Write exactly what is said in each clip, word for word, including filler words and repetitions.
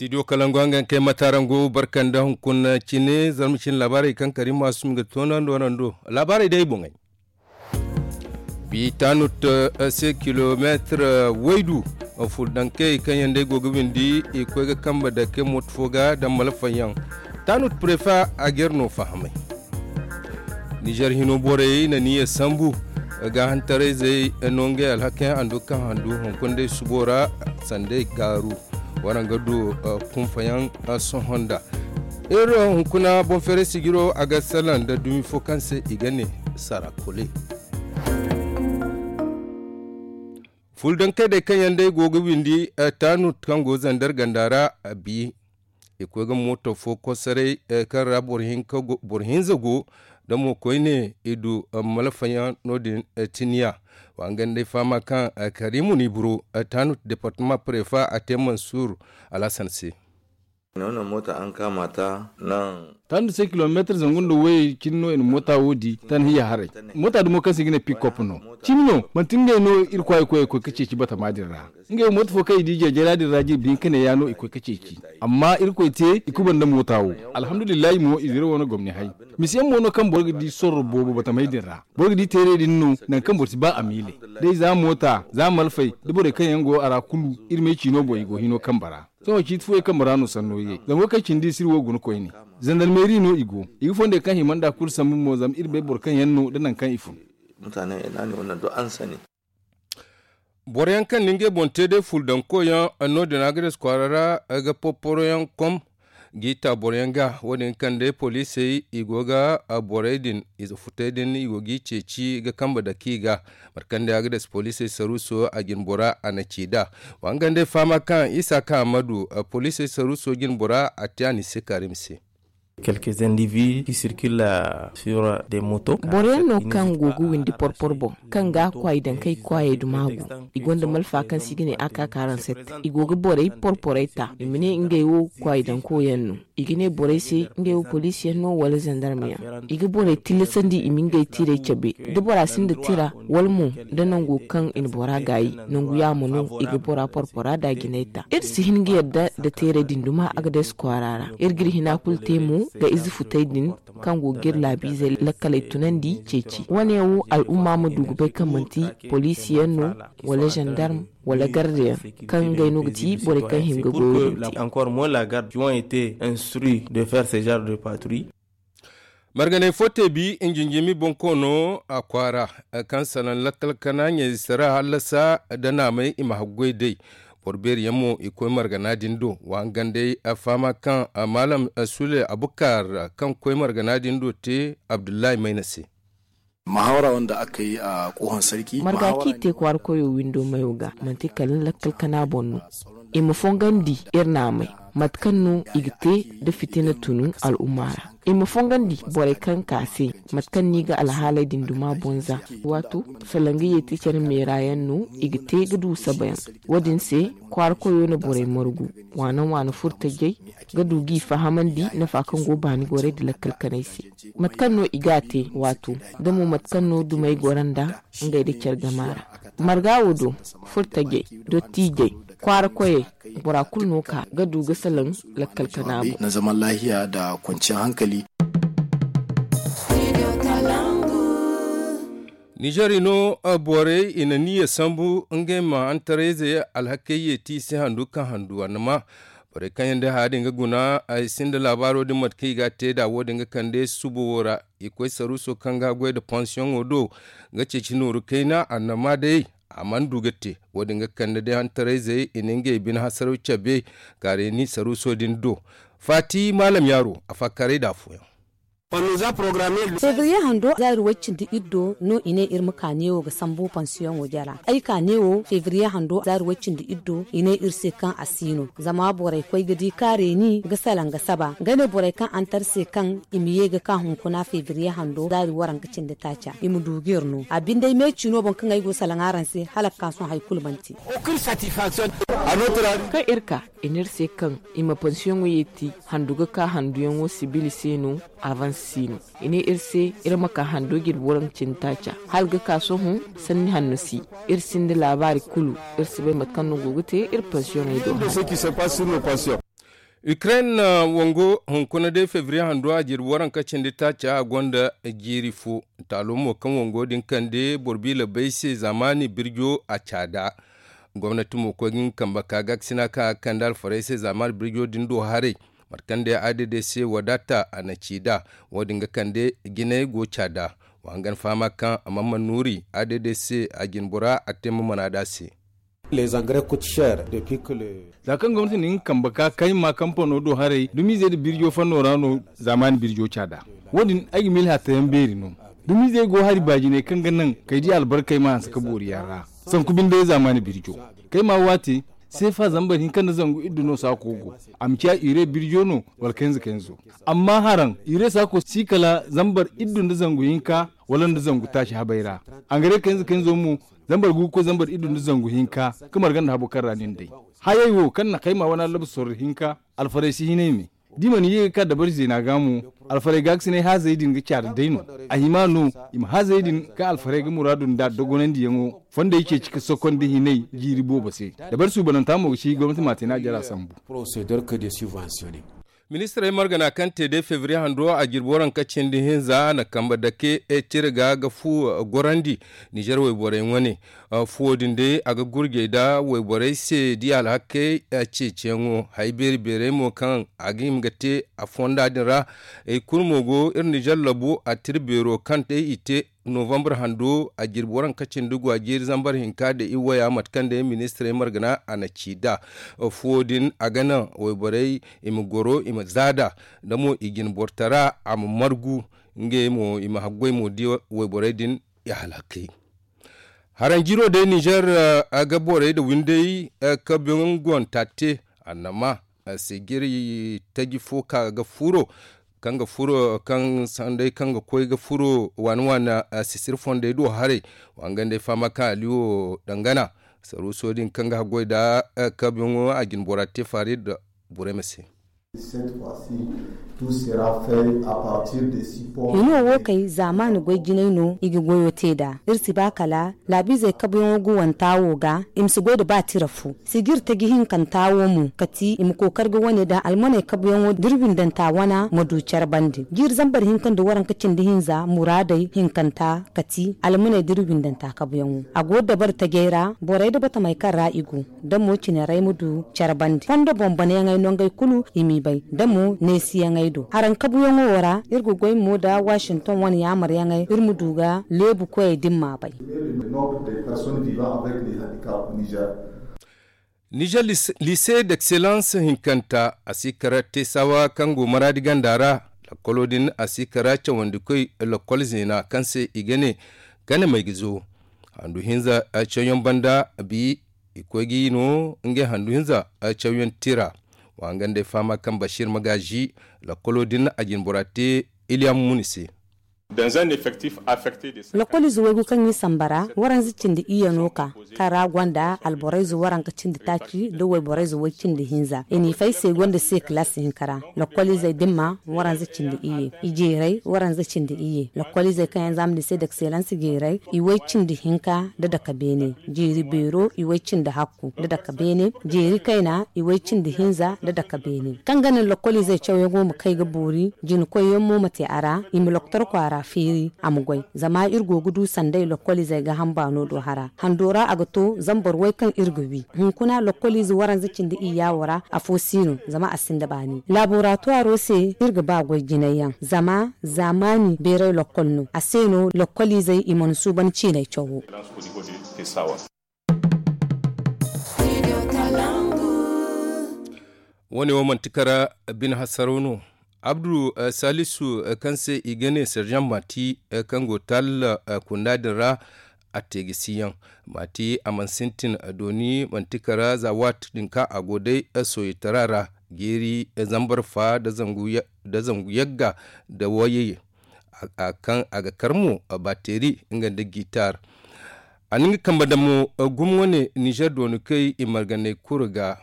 Studio kalangu hangan kay matarango barkanda hunkuna cine zarma cine laabaarey kaŋ kari maasum ga toonandi warando laabaarey day boŋey. Bi tanut se kilomeetir waydu fuldankey kaŋ yaŋ day go ga windi i koy ga kambe dake mooto fo ga daŋ malfayaŋ. Tanut prefa a ga iri no fahamay. Nizer hino borey na niya sambu ga hantarayzey no ngey alhakayaŋ handu kaŋ handu hunkuna day subo ra sanda ay gaaru. Waraŋ ga du kunfayaŋ sohõ nda iri hunkuna boŋ feeray sijiro a ga salaŋ nda dumi fo kaŋ se i ga ne sarakole. Fuldankey day kaŋ yaŋ day go ga windi taanut kaŋ go zandar ganda ra a bi i koy ga mooto fo kosaray kaŋ ra boro hinza go da mo koyne i du malfayaŋ no- din. Tiniya wa nga nda ay fahama kaŋ karimu ni buru taanut departama prefa a te mansur alhasan se. Nono moota an kaama ta nan. Taanut se kilomeetir zangu nda wayey cine no i na moota wo di tan hiya haray. Moota dumo kaŋ se i ga ne pikop no cimi no manti ngey no iri kwaay koy ga koy ga ceeci batama din ra. Ngey wo moota fo kaŋ i di jeejayra din ra jirbi hinka ne ya no i koy ga ceeci. Amma irkoy te i kuba nda moota wo. Alhamdulillahi mo i zira wo no gomni hay. Misiyaŋ mo no kaŋ boro ga di sorro boobo batamey din ra. Boro ga di teerey din no nangu kaŋ boro si ba a miile. Day za moota za malfey da borey kaŋ yaŋ go a ra kulu iri me ciino boŋ i go hino kambe ra. Sohõ ciiti fooyaŋ kambe ra no sanno ye zango kaŋ cindi i si iri wo guna koyne. Zandarmeeri no i go. I ga fondey kaŋ hima nd'a kulu sambu mo zama iri bay boro kaŋ yaŋ no nda nangu kaŋ i fun. Boro yaŋ kaŋ na ngey boŋ te day fuldanko yaŋ no- din a ga des kwaara ra ga porporo yaŋ kom g'i ta boro yaŋ ga wo- din kaŋ day poliisey i go ga borey din ize futey din i go g'i ceeci ga kambe dake i ga. Mate kaŋ day a ga des poliisey saruuso a jine bora a na ci nd'a. Wa nga nda ay fahama kaŋ isa kaŋ a ma du poliisey saruuso jine bora a te a n'i se kaari ma se. Quelques individus qui circulent sur des motos. Boro yaŋ no kaŋ go ga windi porpor boŋ kaŋ ga a kwaay daŋ kay kwaayey duma go. I gonda malfa kaŋ se i ga ne a ka kaaraŋ sette i go ga borey porporey ta i ma ne ngey wo kwaay daŋ koyaŋ no. I ga ne borey se ngey wo poliisi yaŋ no wala zandarma yaŋ. I ga borey tillasandi i ma ngey tiirey cabe da bora sinda tira wala mo da nango kaŋ i na bora gaayi. Nangu yaamo no i ga bora porpora da jinay ta iri si hin ga yadda nda teeray din duma a ga day si kwaara ra. Iri ga iri hina kulu te mo ga ize futay din kaŋ go ga iri laabiizey lakkaley tunandi ceeci wane wo al'umma ma du ga bay kaŋ manti poliisi yaŋ no wala zandarm wala garde yaŋ kaŋ ngey no ga ti borey kaŋ hin ga goyo din te. Encore moins la garde qui ont été instruits de faire ce genre de patrouille. Marganay fo te bi injinjimi bonkoono a kwaara kaŋ salaŋ lakkal kana ɲayze sara hallasa da naamay i ma haggoy day. Boro beeri yaŋ mo i koy margana din do wa nga nday a fahama kaŋ maalam sule abukar kaŋ koy margana din do te abdullahi mayna se. Muhawara wanda aka yi a kohon sarki marga kaŋ i te kwaara koyo windo mayo ga manti kala lakkal kana boŋ no. I ma fongandi iri naamay mate kaŋ no i ga te da fitina tunu al'umma ra. I ma fongandi borey kaŋ ka se mate kaŋ no i ga alhaaley din duma boŋ za. Waato salaŋ ga yeeti care meera yaŋ no i ga te ga du sabayaŋ. Wo- din se kwaara koyo na borey margu waana waana furtajey ga du g'i fahamandi nafa kaŋ go baani gorey nda lakkal kanay se. Mate kaŋ no i ga a te waato da mo mate kaŋ no dumey goro nda ngey nda care gama ra. Marga wo do furtajey dottiijey kwaara koyey bora kulu no ka ga du ga salaŋ lakkal kana boŋ. Na zaman lahiya nda kwanciyar hankali. Nizer i no borey i na niyya sambu ngey ma hantarayze alhakey yeeti i se handu kaŋ handu annama. Borey kaŋ yaŋ day haya din ga guna ay sinda laabaaro din mate kaŋ i ga a te nd'a wo- din ga kande suba wo ra. I koy saruuso kaŋ ga goy nda pansiyoŋo do ga ceeci nooru kayna annama day. A mana du ga te wo- din ga kande day hantarayzey i na ngey bine hasaraw cabe ka reeni saruuso din do. Faati maalam yaaro a faakaaray nd'a afooyaŋ. Febriye hando zaari way cindi iri do no i ne iri ma ka neewo ga sambu pansiyoŋo jara. Ay ka neewo febriye hando zaari way cindi iri do i ne iri se kaŋ a si no zama borey koy ga di ka reeni ga salaŋ ga saba nga ne borey kaŋ antar se kaŋ i ma ye ga ka hunkuna febriye hando zaari waranka cindi taaca i ma du ga iri no a binde ay meeci no boŋ kaŋ ay go salaŋ araŋ se hala ga ka sohõ hari kulu mana te. Kaŋ iri ka i ne iri se kaŋ i ma pansiyoŋo yeeti handu ga ka handuyaŋo sibili se no. Avans si no i ne iri se iri ma ka hando jirbi waranka cindi taaca hala ga ka sohõ. Sanni hanno si iri sinda laabaari kulu. Iri si bay mate kaŋ no go ga te iri pansiyoŋey do. Hara. Ukraine wango hunkuna day febriye hando a jirbi waranka cindi taaca a gonda jiiri fo. Taalo mo kaŋ wango din kande boro biila bay se zaamaani birjo a caada. Gomnati mo koy ga nga kambe ka gaakasina kaŋ a ga kande alfarey se zaamaani birjo din do haray. Mate kaŋ day a dede se wadaata a na ci nd'a. Wo- din ga kande jinay go caada. Wa hangan fahama kaŋ a mana mana nuuri a dede se a jinbora a te ma mana nd'a se. Za kaŋ gomnati na nga kambe ka kayma kampano do haray dumiizey nda birjo fanno ra no. Zaamaani birjo caada. Wo- din ay ga miila hatta yaŋ beeri no. Dumiizey go hari baajiney kaŋ ga naŋ kay di albarkey ma hanse ka boori yaŋ ra. Sanku binde zaamaani birjo kayma waate seefa zambar hinka nda zangu iddu no saako go. A ma ciya ire birjo no wala kayna za kayna zo. Amma haraŋ ire saako si kala zambar iddu nda zangu hinka wala nda zangu taaci habay ra. Angare kayna za kayna zo mo zambar gu ga koy zambar iddu nda zangu hinka. Ka marga nda habo kaŋ ra nin day hayey wo kaŋ na kayma wane allabu sorro hinka. Alfarey si hinay me da i mana ye ga ka dabari zeena ga mo. Alfarey gaakasinay haazey din ga caari day no. A hima no i ma haazey din kaŋ alfarey ga muraadu nd'a dogonandiyaŋo fondey ceeci ka sokondi hinay jiiri boobo se. Dabari suubananta mo ga ci gomnati ma a te no a jara sambu. Ministirey margana kaŋ te day febriye hando a jirbi waranka cindi hinza na kambe dake cire ga ga fu gorandi. Nizer wayborey wane fuwo din day a ga gurjey nda wayborey se da i alhakey ceeciyaŋo hay beeri beerey mo kaŋ a ga hima ga te a fonda din ra. Iri kulu mo go iri nizer labu attiri beero kaŋ day i te novambar hando a jirbi waranka cindi go a jiiri zambar hinka nda i waya mate kaŋ day ministirey margana a na ci nd'a. Fuwo din a ga naŋ wayborey i ma goro i ma zaada da mo i jine bortara a ma margu. Ngey mo i ma haggoy mo di wayborey din i halakey. Haranjiro day nizer a ga borey nda windey kabiyaŋ gonta te annama sigiri taji fo ka ga furo kaŋ ga furo kaŋ sanday kaŋ ga koy ga furo waani waani sisiri fondey do haray. Wangandey fama kaŋ aliwo dangana saruuso din kaŋ ga haggoy nda kabiyaŋo a jine bora te faari nda burey ma se. Hino wo kay zaamaani goy jinay no i ga goyo te nd'a. Iri si ba kala laabiizey kabuyaŋo ga wanta wo ga i ma si goy nda ba tira fu. Sigir taji hinkanta wo mo kati i ma kookari ga wane daŋ almaney kabuyaŋo da iri windanta wana ma du care bande jiiri zambar hinka nda waranka cindi hinza muraadey hinkanta kati almaney da iri windanta kabuyaŋo. A go dabari tajey ra borey nda batamey kaŋ ra i go da mo cinarey ma du care bande fondo boŋ banayaŋey nongey kulu i m'i bay da mo neesiyaŋey do haraŋ kabuyaŋo wo ra. Iri ga goy mo nda wasinton wane yaamaryaŋey iri ma du ga leebu koyey da ni m'a bay. Nizer lise d'excellence hinkanta a si kara teesawa kaŋ go maraadi ganda ra. Lakkolo din a si kara cawandikoy lakkol zeena kaŋ se i ga ne gana may ga zo handu hinza cawyaŋ banda bi i koy ga i no ngey handu hinza cawyaŋ tira. Wa nga nd'ay fahama kaŋ bashir magaazi lakkolo din a jine bora te iliyamu muni se. Lakkolize waygu kaŋ i samba ra waranza cindi iyye no ka kaŋ ra gonda alborayze waranka cindi taaci nda wayborayze way cindi hinza i n'i fay se gonda se kilaasi hinka ra. Lokoliizey dimma waranza cindi iyye ijeeray waranza cindi iyye lokoliizey kaŋ yaŋ za ma ni se dakseelansi jeeray iway cindi hinka nda dake beene jeeri beero iway cindi hakku nda dake beene jeeri kayna iway cindi hinza nda dake beene kaŋ ga naŋ lokoliizey cawyaŋo ma kay ga boori jinakoyyaŋ mo ma te a ra i ma loktor kwaara feeri a ma goy. Zama iri go ga du sanday lokoliizey gaaham baano do hara hando ra a ga to zambar way kaŋ iri ga wi hunkuna lokoliize waranza cindi iyya wo ra afo si no zama a sinda baani laaboraatuwaro se iri ga ba goy jinay yaŋ zama zaamaani beeray lokkol no a se no lokkoliizey i mana suuban ciinay cawo. Wo- ne wo manti kara bine hasaraw no. Abdu salisu kaŋ se i ga ne serjan mati kaŋ go taalla kunda din ra a te ga si yaŋ. Mati a mana sintin dooni manti kara za waati din kaŋ a go day soyetara ra jeeri zambar fa nda zangu yagga nda wayey kaŋ a ga kar mo bateeri nga nda gitar. A na nga kambe damo gumo wane nizer dooni kay i marganey kuru ga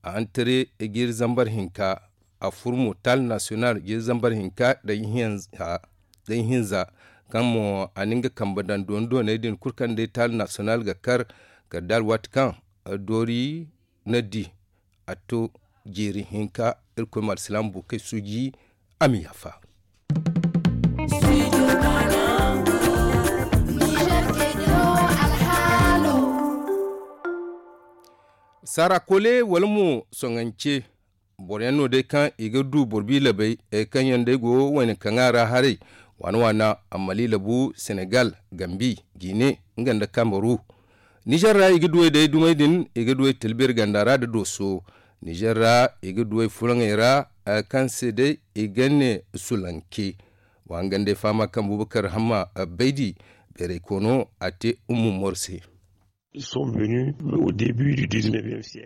a hantare jiiri zambar hinka a fur mo taali nasiyonal jiiri zambar hinka day hinza kaŋ mo a na nga kambe daŋ dooni dooney din kulu kaŋ day taali nasiyonal ga kar kala da alwaati kaŋ doori na di a to jeeri hinka. Irkoy ma alsilaama buukey suuji. A ma yaafa. Saara koole wala mo soŋance boro yaŋ no day kaŋ i ga du boro biilabey kaŋ yaŋ day go wayna kaŋa ra haray waana waana, ammali labu senegal, gambi, gine, nga nda kambaru. Nizer ra i ga duwey day dumey din i ga duwey tilbir ganda ra nda dooso. Nizer ra i ga duwey fulaŋey ra kaŋ se day i ga ne sulanke. Wa nga nda ay fahama kaŋ bubakar hamma baydi beeray koono a te ummu morse.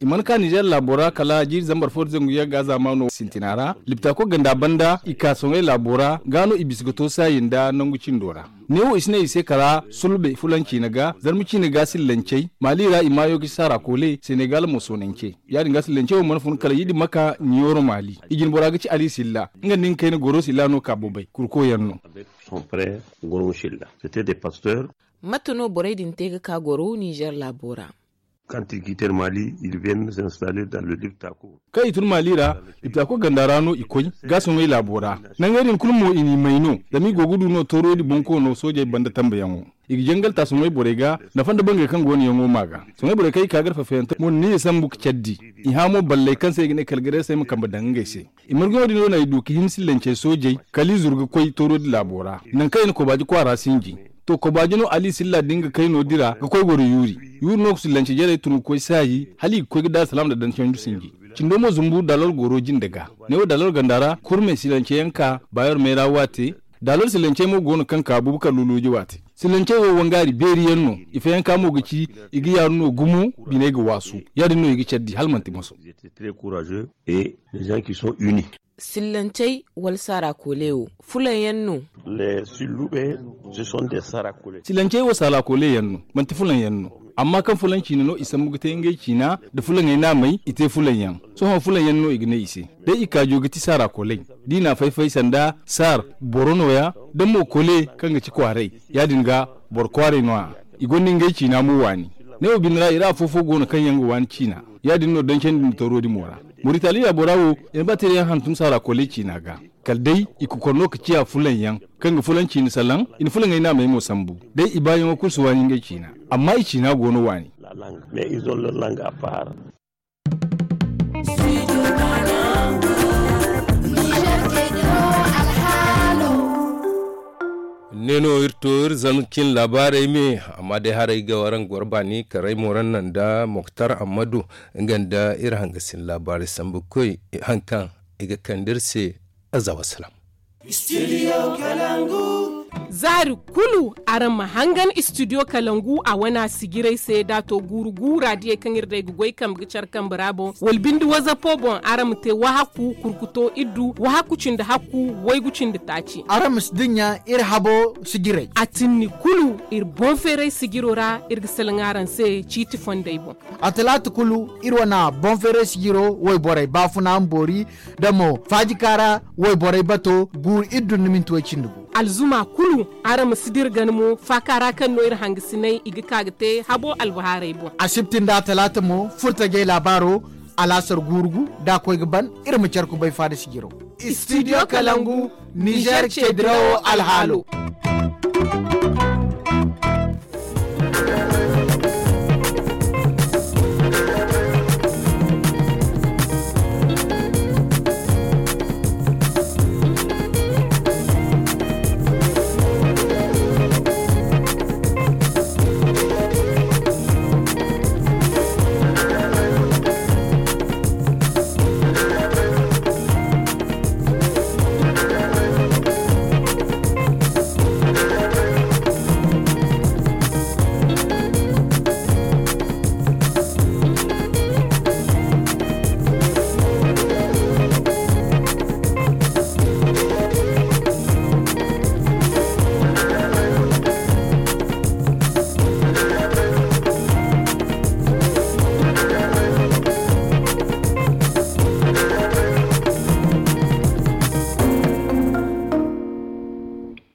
I mana ka nizer laabo ra kala jiiri zambar fo da zangu yagga zaamaano sintina ra liptaako ganda banda i ka soŋay laabo ra ga no i bisa ga to saayi nda nangu cindo ra. Neewo i si ne i se kala sulbe fulanci na ga zarma ciine ga sillancey maali ra i maayo ga ci saara koole senegal mo soonance. Ya- din ga sillancey wo mana fun kala yidi maka niyoro maali i jine bora ga ci ali silla nga nda nga kayna goro silla no ka bobay kurko yaŋ no. Mate no borey din te ga ka goro nizer laabo ra? Kaŋ i tun maali ra liptaako ganda ra no i koy ga soŋay laabo ra. Nangey din kulu mo i n'i may no zama i go ga du no toorodi bonkoono soojey banda tambayaŋo. I ga jangal ta soŋay borey ga nafa nda bangey kaŋ go no yaŋo ma ga. Soŋay borey kaŋ i ka gar fafayante mo ni i sambu ga care di. I hã mo balley kaŋ se i ga ne kala gareesey ma kambe daŋ ngey se. I marguyaŋo din no no i du ga hin sillancey soojey kala i zuru ga koy toorodi laabo ra. Nangu kaŋ i na kobaaji kwaara sinji to kobaaji no ali silla din ga kayno dira ga koy goro yuuri. Yuuri no ga sillance jarey tun ga koy saayi hala i ga koy ga daaru salaam nda daŋ canju sinji. Cindo mo zumbu daalor goro jinde ga. Neewo daalor ganda ra kurme sillancey yaŋ ka baayor meera waate. Daalor sillancey mo go no kaŋ ka bubakar luluuji waate. Sillancey wo wangaari beeri yaŋ no. Ifo yaŋ ka mo ga ci i ga yaaru no gumo. Biney ga waasu ya- din no i ga care di hala manti moso. Sillancey wala saara koole wo fulaŋ yaŋ no? Sillancey wo saara koole yaŋ no manti fulaŋ yaŋ no. Amma kaŋ fulaŋ ciine no i sambu ga te ngey ciina nda fulaŋey naamey i te fulaŋ yaŋ. Sohõ fulaŋ yaŋ no i ga ne i se day i kaajo ga ti saara kooley. Da i n'a fay-fay sanda saar boro nooya da mo koole kaŋ ga ci kwaaray. Ya- din ga boro kwaaray no- ya i gonda ngey ciina mo waani. Neewo bine ra i ra afo-fo go no kaŋ yaŋ ga waani ciina. Ya- din no dancandi nda toorodi mo ra. Muritaali laabo ra wo i na ba tira yaŋ hantum saara kooley ciina ga. Kala day i kokor no ga ciya fulaŋ yaŋ kaŋ ga fulaŋ ciine salaŋ. I na fulaŋey naamey mo sambu day i baayaŋo kulu si waani ngey ciina. Amma i ciina go no waani. Ne no iri to iri zama cin laabaarey me. Amma day haray ga waraŋ goro baani karay moran naŋ nda moktar ammadu nga nda iri hangasin laabaarey sambu koy haŋ kaŋ i ga kande iri se. Aza wasalaam. Zaari kulu araŋ ma hangan istidiyo kalangu a wana sijiray se da to guuru guura diyey kaŋ iri day ga goy kambe ga care kambe ra boŋ wala bindi wazapo boŋ araŋ ma te wahakku kurkuto iddu wahakku cindi hakku waygu cindi taaci. Araŋ ma si dinya iri habo sijiray a tinni kulu iri boŋ feeray sijiro ra iri ga salaŋ araŋ se ciiti fondey boŋ. A talaata kulu iri wana boŋ feeray sijiro wayborey baafuna ma boori da mo faajikaara wayborey bato guuru iri dun ni minti way cindi gu. Alzuma kulu araŋ ma si dira gana mo faakaara kaŋ no iri hangasinay i ga ka ga te habo albahaarey boŋ. Asibti nda talaata mo furtajey laabaaro alaasar guuru gu da a koy ga ban. Iri ma care kubay faada sijiro. Istidiyo kalangu nizer cedirawo alhaalo.